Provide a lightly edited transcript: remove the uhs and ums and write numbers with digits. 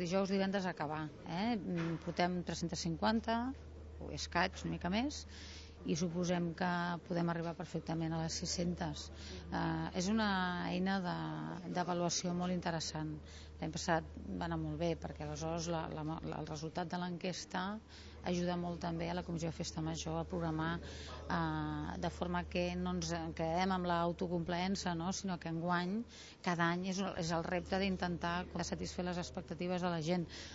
Dijous, divendres a acabar. Portem 350, o escaig, una mica més, i suposem que podem arribar perfectament a les 600. És una eina d'avaluació molt interessant. L'any passat va anar molt bé perquè aleshores el resultat de l'enquesta ajuda molt també a la Comissió de Festa Major a programar de forma que no ens quedem amb l'autocomplaença, no? Sinó que enguany, cada any és el repte d'intentar satisfer les expectatives de la gent.